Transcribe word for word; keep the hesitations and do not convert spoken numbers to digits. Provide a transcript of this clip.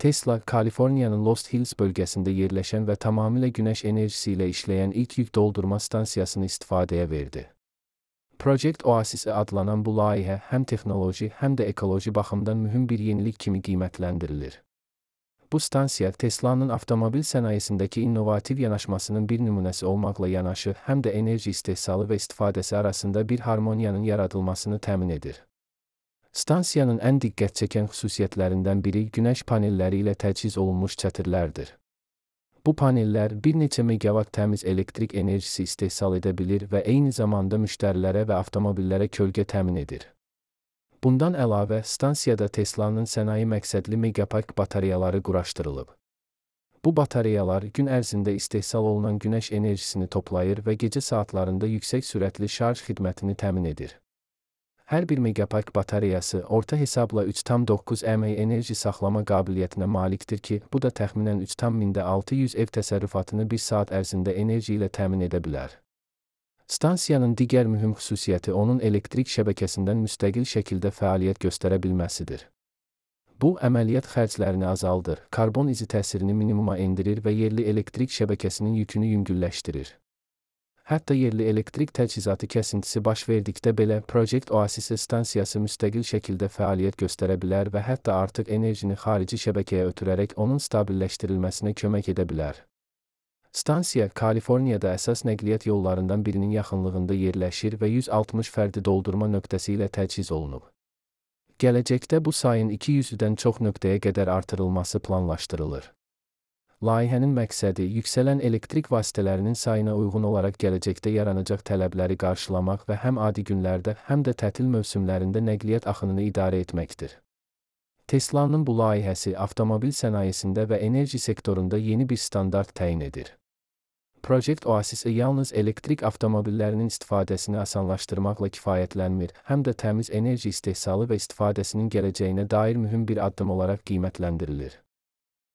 Tesla, Kaliforniyanın Lost Hills bölgesində yerləşən və tamamilə günəş enerjisi ilə işləyən ilk yük doldurma stansiyasını istifadəyə verdi. Project Oasis adlanan bu layihə həm texnoloji, həm də ekoloji baxımdan mühüm bir yenilik kimi qiymətləndirilir. Bu stansiya Tesla'nın avtomobil sənayesindəki innovativ yanaşmasının bir nümunəsi olmaqla yanaşı, həm də enerji istehsalı və istifadəsi arasında bir harmoniyanın yaradılmasını təmin edir. Stansiyanın ən diqqət çəkən xüsusiyyətlərindən biri günəş panelləri ilə təchiz olunmuş çətirlərdir. Bu panellər bir neçə megawatt təmiz elektrik enerjisi istehsal edə bilir və eyni zamanda müştərilərə və avtomobillərə kölgə təmin edir. Bundan əlavə, stansiyada Tesla'nın sənaye məqsədli megapack batareyaları quraşdırılıb. Bu batareyalar gün ərzində istehsal olunan günəş enerjisini toplayır və gecə saatlarında yüksək sürətli şarj xidmətini təmin edir. Hər bir megapack batareyası orta hesabla üç tam doqquz mAh enerji saxlama qabiliyyətinə malikdir ki, bu da təxminən üç tam mində altı yüz ev təsərrüfatını bir saat ərzində enerji ilə təmin edə bilər. Stansiyanın digər mühüm xüsusiyyəti onun elektrik şəbəkəsindən müstəqil şəkildə fəaliyyət göstərə bilməsidir. Bu, əməliyyat xərclərini azaldır, karbon izi təsirini minimuma endirir və yerli elektrik şəbəkəsinin yükünü yüngülləşdirir. Hətta yerli elektrik təchizatı kəsintisi baş verdikdə belə Project Oasis stansiyası müstəqil şəkildə fəaliyyət göstərə bilər və hətta artıq enerjini xarici şəbəkəyə ötürərək onun stabilləşdirilməsinə kömək edə bilər. Stansiya, Kaliforniyada əsas nəqliyyat yollarından birinin yaxınlığında yerləşir və yüz altmış fərdi doldurma nöqtəsi ilə təchiz olunub. Gələcəkdə bu sayın iki yüzdən çox nöqtəyə qədər artırılması planlaşdırılır. Layihənin məqsədi yüksələn elektrik vasitələrinin sayına uyğun olaraq gələcəkdə yaranacaq tələbləri qarşılamaq və həm adi günlərdə, həm də tətil mövsümlərində nəqliyyat axınını idarə etməkdir. Tesla'nın bu layihəsi avtomobil sənayesində və enerji sektorunda yeni bir standart təyin edir. Project Oasis yalnız elektrik avtomobillərinin istifadəsini asanlaşdırmaqla kifayətlənmir, həm də təmiz enerji istehsalı və istifadəsinin gələcəyinə dair mühüm bir addım olaraq qiymətləndirilir.